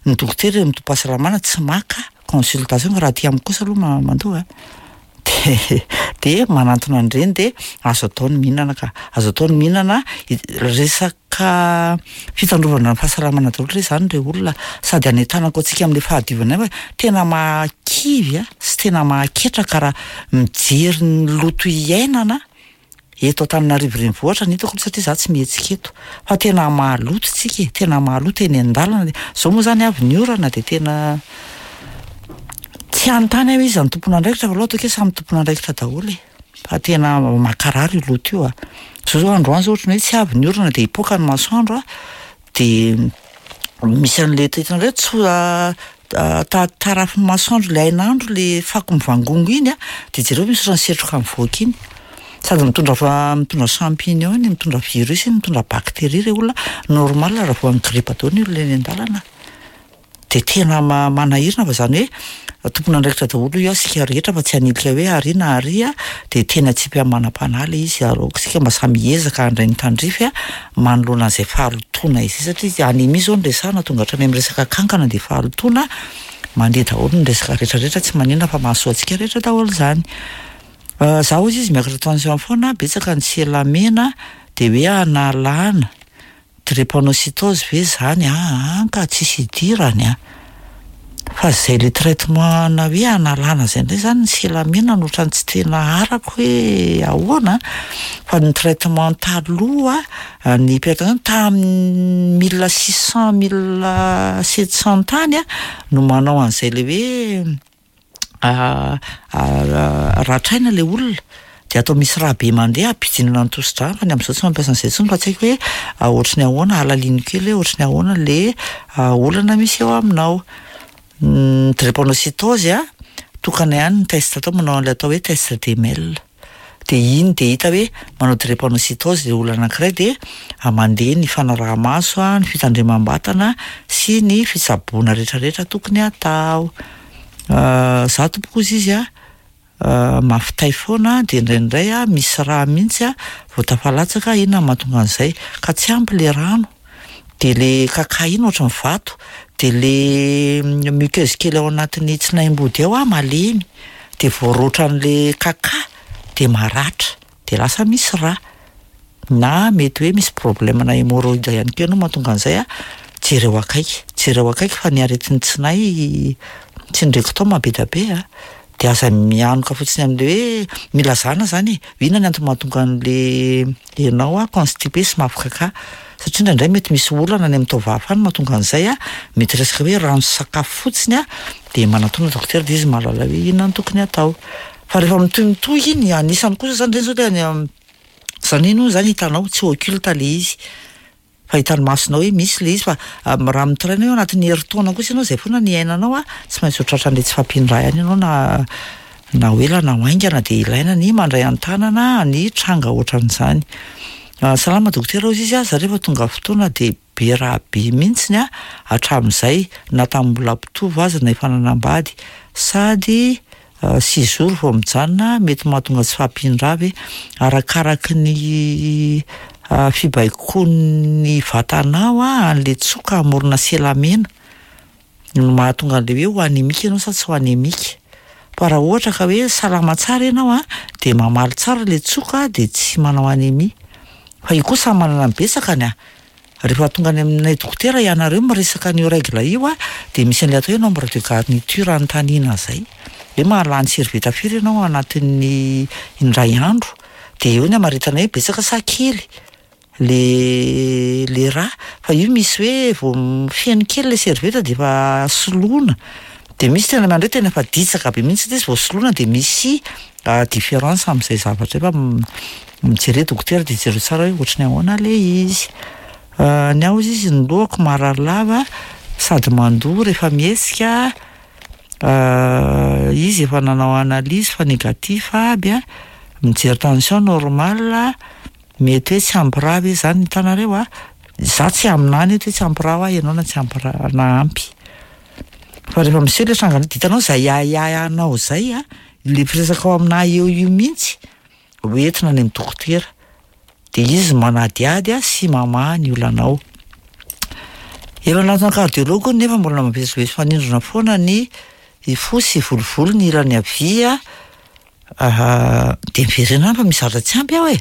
Ny dokotera eny amin'ny tobim-pahasalamana tsy maka consultation fa raha aty amiko kosa aloha mandoa a. De de manantona an'ireny de azo atao ny mihinana ka, azo atao ny mihinana, resaka fitandrovana ny fahasalamana daholo re zany re olona, sady hanentanako antsika amin'le fahadiovana ihany fa tena mahakivy a sy tena mahaketraka raha mijery ny loto iainana eto Antananarivo renivohitra ny hitako aloha satria za tsy mihetsika eto fa tena maloto tsika e, tena maloto eny an-dalana, zao moa zany avy ny orana de tena tsy hanontany aho hoe iza no tompon'andraikitra fa aleo ataoko hoe samy tompon'andraikitra daholo e, fa tena mankarary io loto io a. Zao zao androany zao ohatran'ny hoe tsy avy ny orana de hipoaka ny masoandro a, de misy an'le hitanareo hoe tso- tarafin'ny masoandro le hainandro le fako mivangongo iny a, de jereo misy ohatran'ny setroka mivoaka iny, sady mitondra fa- mitondra champignon iny, mitondra virus iny, mitondra bactérie re olona, normal raha voan'ny grippe daholo ny olona eny an-dalana. De tena manahirana fa zany hoe tompon'andraikitra daholo io isika rehetra fa tsy hanilika hoe ary na ary a, de tena tsipy amin'ny manam-panahy le izy ary aoka isika mba samy hiezaka handray ny tandrify a manoloana an'izay fahalotoana izay satria anémie zao no resahana tonga hatrany amin'ny resaka kankana de fahalotoana mandeha daholo ny resaka rehetrarehetra, tsy maninona fa mahasoa antsika rehetra daholo zany. Za hozy izy miakatra tension foana, betsaka ny sela mena de hoe analana drépanocytose ve zany? Aa ka tsisy idirany a, fa zay le traitement na hoe analana zay indray zany ny sela mena no ohatran'ny tsy tena arako hoe ahoana, fa ny traitement taloha ny hypertension tamin'ny mille six cent, mille sept cent tany a no manao an'izay le hoe ratraina le olona de atao misy rà be mandeha hampidinana ny tosi-drà, fa ny amin'izao tsy mampiasa an'izay intsony fa tsy haiko hoe ohatry ny ahoana, alalino kely hoe ohatry ny ahoana le olana misy eo aminao. Ny drépanocytose a, tokana ihany ny test atao, manao an'ilay atao hoe test DML. De iny de hita hoe manao drépanocytose le olona anankiray de mandeha ny fanaraha-maso a, ny fitandremam-batana sy ny fitsaboana rehetrarehetra tokony atao. Za tompoko hozy izy a, mafy tay foana de indraindray a misy rà mihitsy a vao tafalatsaka, inona no mahatonga an'izay? Ka tsy ampy le rano, de le kaka iny ohatran'ny vato. de le muqueuse kely ao anatin'ny tsinaim-body ao a malemy, de voaroatran'le kaka de maratra, de lasa misy rà. Na mety hoe misy problème na hémorroïde ihany koa ianao mahatonga an'izay a, jereo akaiky, jereo akaiky fa ny aretin'ny tsinay tsy ny rectum be dia be a, de aza mianoka fotsiny amin'le hoe milazana zany e, inona ny antony mahatonga an'le ianao a constipé sy mafy kaka, satria indraindray mety misy olana any amin'ny taovava any mahatonga an'izay a, mety resaka hoe rano sy sakafo fotsiny a, de manatona dokotera de izy mahalala hoe inona no tokony atao. Fa rehefa mitohimitohy iny, anisany kosa zany ireny zao le any am- zany iny hono zany hitanao tsy occulte le izy, fa hitan'ny masonao hoe misy le izy fa raha mitaraina eo anatin'ny herintaona kosa ianao zay foana ny iainanao a, tsy maintsy ho tratran'le tsy fahampian-drà ihany ianao na na ho ela na ho haingana de ilaina ny mandray an-tanana ny tranga ohatran'izany. Salama dokotera hozy izy a, za rehefa tonga fotoana de be rà be mihitsiny a hatramin'izay na tamin'ny mbola mpitovo aza na efa nanambady, sady six jours vao mijanona, mety mahatonga tsy fahampian-drà ve? Arakaraky ny fibaikoan'ny vatanao a an'le tsoka hamorona sela mena no mahatonga an'le hoe ho anémique ianao sa tsy ho anémique. Fa raha ohatra ka hoe salama tsara ianao a, de mamaly tsara le tsoka de tsy manao anémie. Fa io koa samy manana ny betsakany a. Rehefa tonga any aminay dokotera ianareo miresaka an'io règle io a, de misy an'ilay atao hoe nombre de garniture anontaniana zay, hoe mahalany serviette firy ianao ao anatin'ny indray andro, de eo ny amaritana hoe betsaka sa kely le le rà, fa io misy hoe vao feno kely le serviette de efa soloina, de misy tena mandray tena efa ditsaka be mihitsy le izy vao soloina de misy différence am'zay zavatra zay fa mijere dokotera de jereo tsara hoe ohatry ny ahoana le izy. Ny ahy hozy izy ny lohako marary lava sady mandoa rehefa mihetsika, izy efa nanao analyse fa négatif aby a, mijery tension normal, mety hoe tsy ampy rà ve zany hitanareo a? Za tsy haminany eto hoe tsy ampy rà hoa ianao na tsy ampy rà na ampy. Fa rehefa miseho le tranga de hitanao zay ahiahinao zay a, le mpiresaka ao aminahy eo io mihitsy ho entina any amin'ny dokotera, de izy manadihady a sy mamaha ny olanao. Efa nanatona cardiologue hono nefa mbola mivezivezy fanindrona foana ny fo sy volovolo ny ilany havia, de miverena any fa misy zavatra tsy ampy ao e.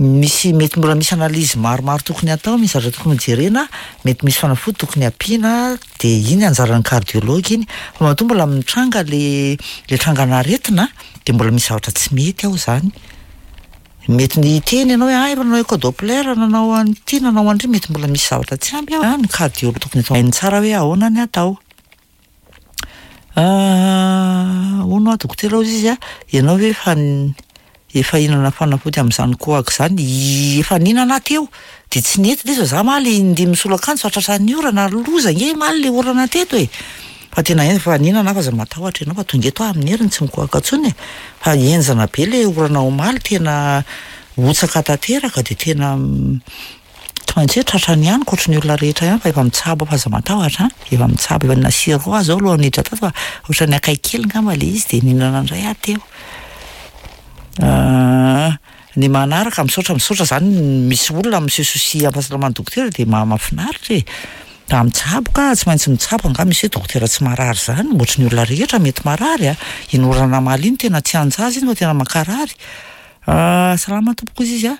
Misy mety mbola misy analyse maromaro tokony atao, misy zavatra tokony hojerena, mety misy fanafody tokony ampiana, de iny anjaran'ny cardiologue iny. Fa matoa mbola mitranga le le trangan'aretina de mbola misy zavatra tsy mety ao zany. Mety ny hiteny ianao hoe ah efa nanao écho doppler, nanao an'ity, nanao an'ity, mety mbola misy zavatra tsy ampy ao, ny cardiologue tokony atao hainy tsara hoe ahoana ny atao. Hono hoa dokotera hozy izy a, ianao ve efa efa hihinana fanafody amin'izany kohaka izany? Efa nihinana aho teo, de tsy nety le izy fa za ma le indimy misolo akanjo fa tratran'ny orana, loza ange omaly le orana teto e. Fa tena en- fa nihinana aho fa aza matahotra ianao fa tonga eto aho amin'ny heriny tsy mikohaka intsony e. Fa henjana be le orana omaly, tena hotsaka tanteraka de tena tsy maintsy hoe tratrany ihany ankoatry ny olona rehetra ihany fa efa mitsabo aho fa aza matahotra an, efa mitsabo, efa nihinana sirop aho zao alohan'ny hiditra tato fa ohatran'ny akaiky kely angamba le izy de nihinana indray aho teo. Ny manaraka, misaotra misaotra zany misy olona mi-se soucie amin'ny fahasalaman'ny dokotera de maha- mahafinaritra e. Da mitsabo ka, tsy maintsy mitsabo angaha misy hoe dokotera tsy marary zany, ohatry ny olona rehetra mety marary a, iny orana omaly iny tena tsy an-jaza iny fa tena mankarary. Salama tompoko hozy izy a,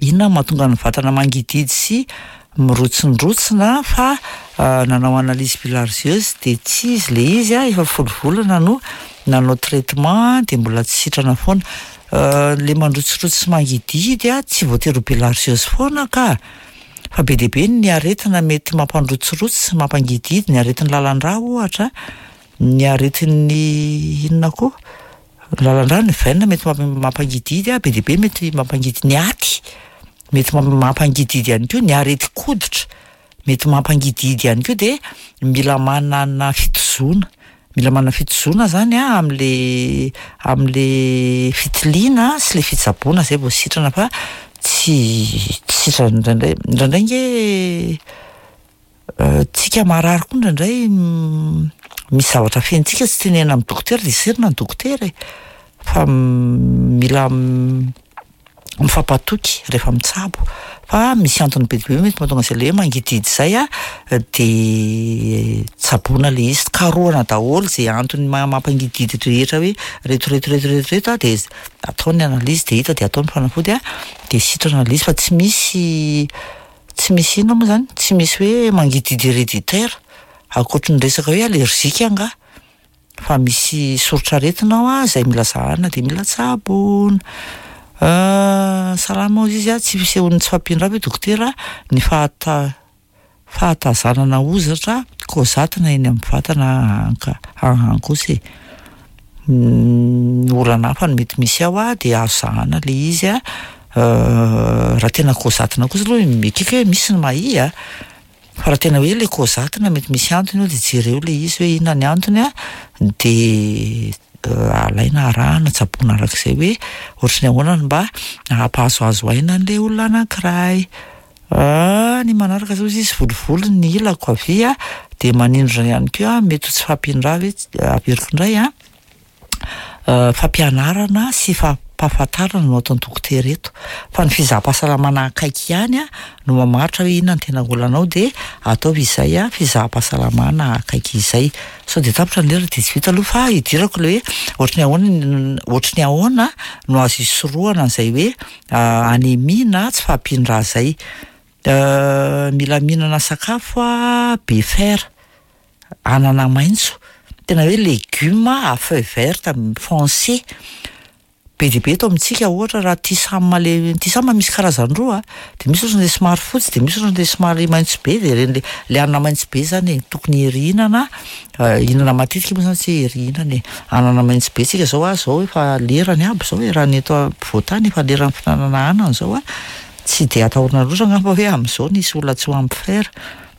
inona no mahatonga ny vatana mangidihidy sy mirotsindrotsina fa nanao analyse bilharziose de tsy izy le izy a, efa folo volana no nanao traitement de mbola tsy sitrana foana. Le mandrotsirotsy sy mangidihidy a, tsy voatery ho bilharziose foana ka, fa be dia be ny aretina mety mampandrotsirotsy sy mampangidihidy, ny aretin'ny lalan-drà ohatra, ny aretin'ny inona koa, ny lalan-drà, ny veine mety mampangidihidy a, be dia be mety mampangidy, ny aty mety mampangidihidy ihany koa, ny aretin-koditra mety mampangidihidy ihany koa, de mila manana fitozoana, mila manana fitozoana zany a am'le am'le fitiliana sy le fitsaboana zay vao sitrana fa tsy tsy sitrana indraindray, indraindray nge tsika marary koa indraindray misy zavatra fentsika tsy tenenina amin'ny dokotera de serina ny dokotera e, fa mila. Mifampatoky rehefa mitsabo fa misy antony be dia be mety mahatonga an'izay le hoe mangidihidy izay a, de tsaboina le izy, karohana daholo izay antony mampangidihidy rehetra hoe reto reto reto reto reto a, de atao ny analyse de hita de atao ny fanafody a, de sitrana le izy fa tsy misy tsy misy inona moa zany, tsy misy hoe mangidihidy héréditaire ankoatry ny resaka hoe allergique angaha. Fa misy soritr'aretina ao a, izay mila zahana de mila tsaboina. Salama hozy izy a, tsy fisehoan'ny tsy fahampian-drà ve dokotera ny fahata- fahatazanana hozatra kaozatina eny amin'ny vatana anka ahan kosa e. Olana hafa no mety misy ao a, de azo zahana le izy a, raha tena kaozatina kosa aloha ekeko hoe misy ny mahia a, Fa raha tena hoe le kaozatina mety misy antony eo de jereo le izy hoe inona ny antony a, de alaina arahana tsaboina arak'izay hoe ohatry ny ahoana no mba hampahazoazo aina an'le olona anankiray. Ny manaraka zao izy volovolo ny ilako havia de manindrona ihany koa mety ho tsy fahampian-drà ve, averiko indray a. Fampianarana sy fampahafantarana no ataon'ny dokotera eto, fa ny fizaham-pahasalamana akaiky ihany no mamaritra hoe inona no tena olanao de ataovy izay fizaham-pahasalamana akaiky izay. Sao de tapitra ny lera de tsy vita aloha fa idirako le hoe ohatry ny ahoana ohatry ny ahoana no azo isorohana an'izay hoe anémie na tsy fahampian-drà zay. Mila mihinana sakafo be fer. Anana maitso, tena hoe legioma à feuilles vertes foncé, be dia be eto amintsika ohatra raha tisam le tisam misy karazany roa a, de misy ohatran'le somary fotsy de misy ohatran'le somary maitso be de reny le le anana maitso be zany e tokony hirihinana, hihinana matetika moa zany tsy hoe hirihinana e, anana maitso be tsika zao a zao efa lerany aby zao e raha ny eto ampovoantany efa leran'ny fihinanana anana zao a, tsy de atahorana loatra angamba hoe amin'izao nisy olona tsy ho ampy fer.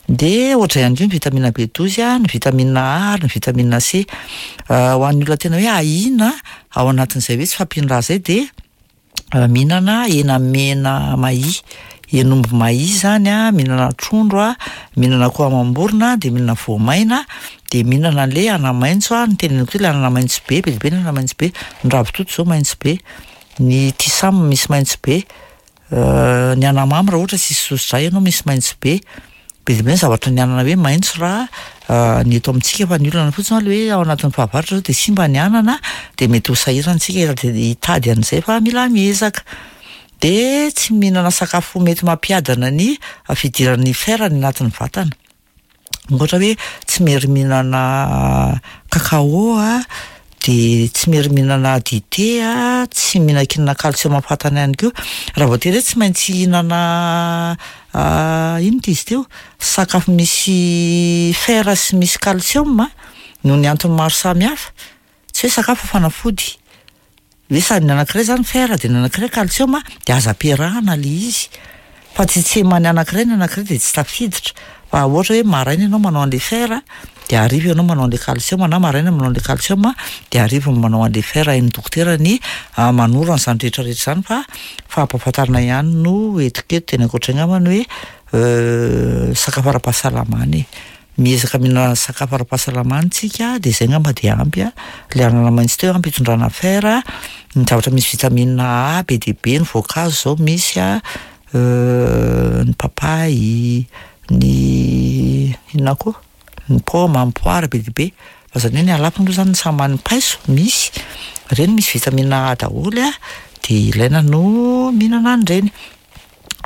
Dia ohatr'izay ihany koa ny vitamine B douze, ny vitamine A ary ny vitamine C. Ho an'ny olona tena hoe ahiana ao anatin'izay hoe tsy fahampian-drà izay dia mihinana hena mena mahia, hen'omby mahia izany an, mihinana trondro an, mihinana akoho amam-borona dia mihinana voamaina dia mihinana an'ilay anamaitso an, ny teneniko teo ilay anana maitso be, be dia be ny anana maitso be, ny ravitoto izao maitso be, ny tisam misy maitso be. Ny anamamy raha ohatra tsisy soso-drà ianao misy maitso be, be dia be ny zavatra ny anana hoe maitso raha ny eto amintsika fa ny olana fotsiny aloha hoe ao anatin'ny fahavaratra zao dia simba ny anana dia mety ho sahirana isika hitady an'izay fa mila miezaka. Dia tsy mihinana sakafo mety mampiadana ny fidiran'ny fer any anatin'ny vatana. Ohatra hoe tsy miery mihinana cacao a, de tsy miery mihinana dite a, tsy mihinan-kinana calcium fatany ihany koa. Raha voatery hoe tsy maintsy hihinana inona ity izy teo, sakafo misy fer sy misy calcium noho ny antony maro samihafa, tsy hoe sakafo fa fanafody. Hoe sady ny anankiray zany fer de ny anankiray calcium de aza ampiarahana le izy fa tsy tseman'ny anankiray ny anankiray de tsy tafiditra fa ohatra hoe maraina ianao manao an'le fer de hariva ianao manao an'le calcium na maraina manao an'le calcium de hariva manao an'le fer, hain'ny dokotera ny manoro an'izany rehetra rehetra izany fa fampahafantarana ihany no entiko eto de ny ankoatr'izay angambany hoe sakafo ara-pahasalamana e. Miezaka mihinana sakafo ara-pahasalamana tsika dia izay angamba dia ampy a. Ilay anana maitso teo ampy hitondrana fer, ny zavatra misy vitamine A be dia be, ny voankazo izao misy a, ny papay, ny inona koa? Ny paoma, ny poara be dia be. Fa izany hoe ny halafony aloha izany ny samy paiso misy, ireny misy vitamine A daholo a, dia ilaina no mihinana an'ireny.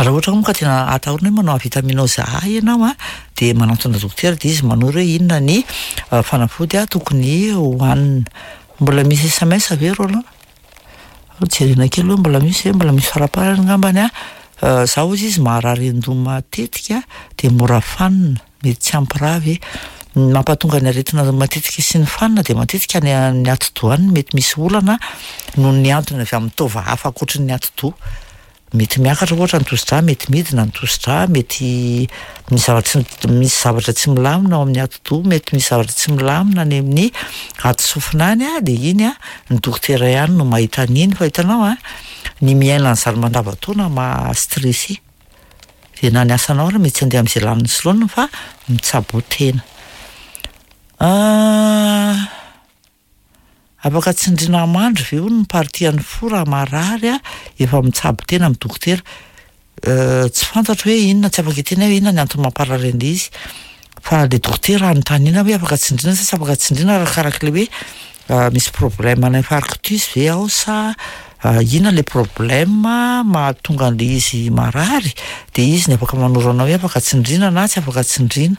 Raha ohatra moa ka tena atahorana hoe manao avitaminose A ianao a, dia manantona dokotera dia izy manoro hoe inona ny fanafody tokony hohanina. Mbola misy SMS ve Roland? Jerena kely hoe mbola misy ve, mbola misy faraparany angambany a. Za hozy izy maharary an-doha matetika dia mora fanina, mety tsy ampy rà ve? Ny mampatonga ny aretina matetika sy ny fanina dia matetika any amin'ny atidoha any no mety misy olana noho ny antony avy amin'ny taova hafa ankoatry ny atidoha. Mety miakatra ohatra ny tosi-drà, mety midina ny tosi-drà, mety misy zavatra tsy misy zavatra tsy milamina ao amin'ny atidoha, mety misy zavatra tsy milamina any amin'ny atisofina any a, dia iny a, ny dokotera ihany no mahita an'iny fa hitanao a, ny miaina an'izany mandavan-taona maha stressé, dia na ny asanao ary mety tsy handeha amin'izay lanin'ny sy laoniny fa mitsaboa tena. Afaka tsindriana mandry ve hono ny partie an'ny fo raha marary a, efa mitsabo tena amin'ny dokotera. Tsy fantatro hoe inona, tsy afaka hiteny aho hoe inona ny antony mamparary an'ilay izy. Fa le dokotera anontaniana hoe afaka tsindriana sa tsy afaka tsindriana arakarak'ilay hoe misy problème ana infarctus ve ao sa inona le problème mahatonga an'ilay izy marary, de izy no afaka manoro anao hoe afaka tsindriana na tsy afaka tsindriana.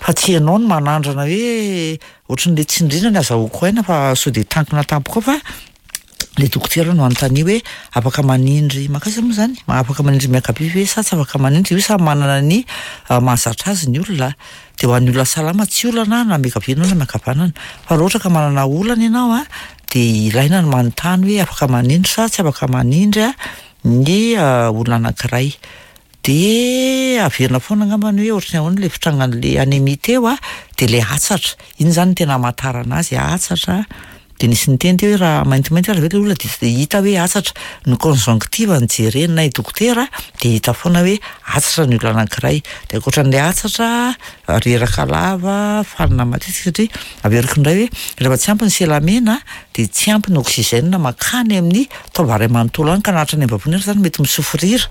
Fa tsy ianao no manandrana hoe ohatran'le tsindriana ny azahoako aina fa sao de tankina tampoka ao fa le dokotera no anontania hoe afaka manindry mankaiza moa zany? Afaka manindry miankavia ve sa tsy afaka manindry? Io samy manana ny mahazatra azy ny olona de ho an'ny olona salama tsy olana na miankavia ianao na miankavanana fa raha ohatra ka manana olana ianao a de ilaina ny manontany hoe afaka manindry sa tsy afaka manindry a ny olona anankiray. Dia averina foana angamba ny hoe ohatran'ny ahoana ilay fitrangan'ilay anémie teo a, dia ilay hatsatra, iny izany no tena hamantarana azy, hatsatra, dia nisy niteny teo hoe raha maintimainty ary ve ilay olona dia tsy dia hita hoe hatsatra, ny conjonctive no jerenay dokotera dia hita foana hoe hatsatra ny olona anankiray, dia ankoatran'ilay hatsatra, reraka lava, fanina matetika satria averiko indray hoe rehefa tsy ampy ny selamena dia tsy ampy ny oxygène mankany amin'ny taova iray manontolo any ka na hatrany am-bavony ary izany mety mi-souffrir.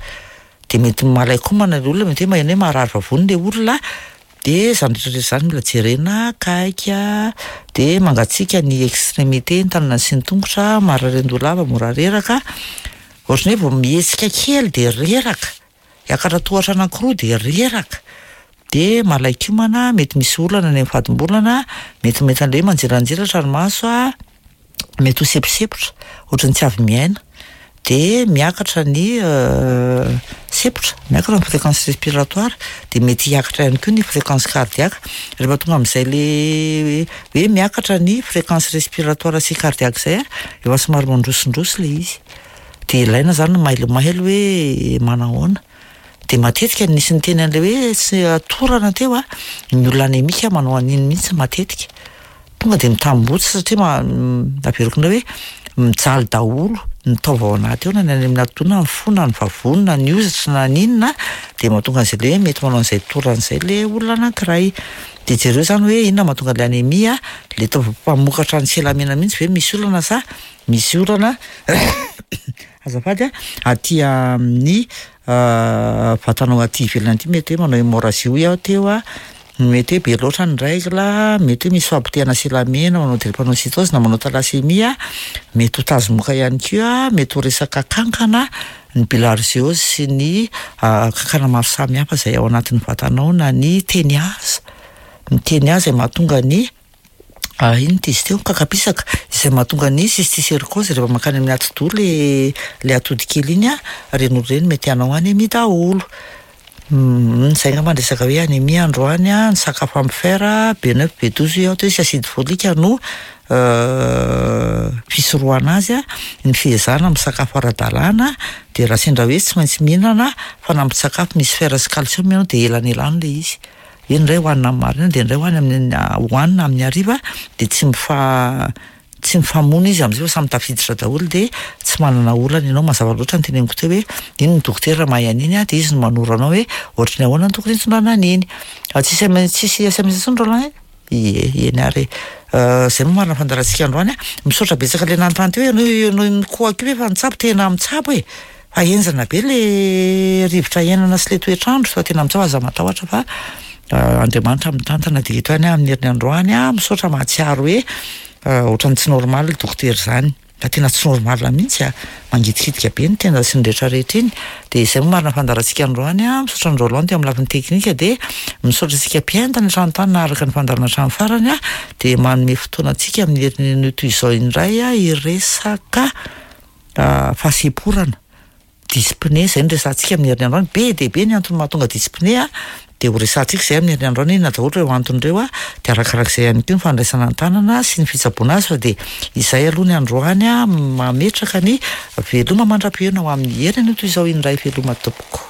Dia mety malain-komana ilay olona, mety hoe maheno hoe marary vavony ilay olona, dia izany rehetra rehetra izany mila jerena akaiky, dia mangatsiaka ny extrémité, ny tanana sy ny tongotra, marary an-doha lava, mora reraka, ohatran'ny hoe vao mihetsika kely dia reraka, hiakatra tohatra anankiroa dia reraka, dia malain-komana, mety misy olana any amin'ny fadimbolana, mety mety an'ilay hoe manjelanjelatra ny maso an. mety ho seposepotra, ohatran'ny tsy avy miaina, dia miakatra ny sepotra, miakatra ny fréquence respiratoire, dia mety hiakatra ihany koa ny fréquence cardiaque, rehefa tonga amin'izay le hoe miakatra ny fréquence respiratoire sy cardiaque izay an, efa somary mandrosindroso ilay izy, dia ilaina izany ny mailomailo hoe manahoana, dia matetika nisy niteny an'ilay hoe tsy torana teo an, ny olona anémique manao an'iny mihitsy matetika. Tonga dia mitambotsitra satria averiko indray hoe mijaly daholo ny taova ao anaty ao na ny any amin'ny atidoha na ny fo na ny vavony na ny hozatra na ny inona dia mahatonga an'izay le hoe mety manao an'izay torana izay le olona anankiray. Dia jereo izany hoe inona mahatonga an'ilay anémie, le taova mpamokatra ny selamena mihitsy ve misy olana sa misy olana azafady a, aty amin'ny vatanao aty ivelany aty mety hoe manao hémorragie hoy aho teo a. Mety hoe be loatra ny règle, mety hoe misy fampotehana selamena, manao drépanocytose na manao thalassemia, mety ho tazomoka ihany koa, mety ho resaka kankana, ny bilharziose sy ny kankana maro samihafa izay ao anatin'ny vatanao na ny teniaza, ny teniaza izay mahatonga ny inona ity izy teo, kakapisaka, izay mahatonga ny cysticercose rehefa mankany amin'ny atidoha le le atody kely iny an, ireny olona ireny mety hanao anémie daholo. Humm zay angamba ny resaka hoe anémie androany an, ny sakafo ampy fer, B9, B12 hoy aho teo sy acide folique no fisorohana azy an, ny fiezahana misakafo ara-dalàna, dia raha sendra hoe tsy maintsy mihinana fanampin-tsakafo misy fer sy calcium ianao dia elanelano ilay izy, hoe ny iray hohanina amin'ny maraina dia ny iray hohanina amin'ny hohanina amin'ny hariva dia tsy mifa Tsy mifamono izy amin'izay fa samy tafiditra daholo dia tsy manana olana ianao, mazava loatra ny teneniko teo hoe iny ny dokotera mahay an'iny dia izy no manoro anao hoe ohatry ny ahoana no tokony hitondrana an'iny. Tsisy tsisy sms intsony Roland e? Ie, eny ary e. Izay moa marina fandaharantsika androany a. Misaotra betsaka ilay nanontany teo hoe ianao ianao mikohaka io ve efa nitsabo? Tena mitsabo e! Fa henjana be le rivotra iainana sy le toetr'andro fa tena mitsao aza matahotra fa Andriamanitra mitantana dia eto ihany aho amin'ny heriny androany aho misaotra mahatsiaro hoe ohatran'ny tsy normal dokotera izany fa tena tsy normal mihitsy a mangitikitika be ny tenda sy ny rehetra rehetra iny dia izay moa marina fandaharantsika androany a misaotra an'i Roland teo amin'ny lafiny teknika dia misaotra antsika mpihaino tany an-trano tany naharaka ny fandaharana hatramin'ny farany a dia manome fotoana antsika amin'ny heriny anio toy izao indray a hiresaka fahasemporana, dyspnée, izay no resahantsika amin'ny herin'ny androany, be dia be ny antony mahatonga dyspnée dia ho resahantsika izay amin'ny herin'ny androany, inona daholo ireo antony ireo dia arakarak'izay ihany koa ny fandraisana an-tanana sy ny fitsaboana azy fa dia izay aloha ny androany mametraka ny veloma mandra-pihaona ho amin'ny heriny toy izao indray veloma tompoko.